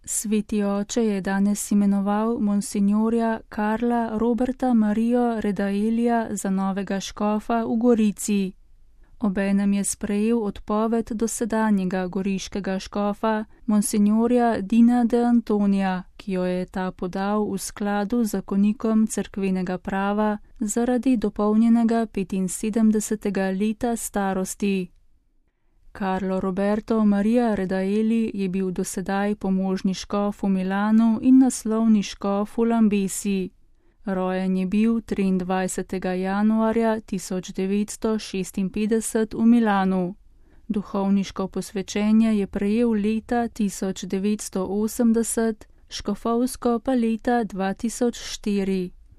Sveti oče je danes imenoval monsignorja Karla Roberta Marijo Redaelija za novega škofa v Gorici. Obenem je sprejel odpoved dosedanjega goriškega škofa, monsignorja Dina de Antonija, ki jo je ta podal v skladu z zakonikom cerkvenega prava zaradi dopolnjenega 75. leta starosti. Carlo Roberto Maria Redaeli je bil dosedaj pomožni škof v Milanu in naslovni škof v Lambesi. Rojen je bil 23. januarja 1956 v Milanu. Duhovniško posvečenje je prejel leta 1980, škofovsko pa leta 2004.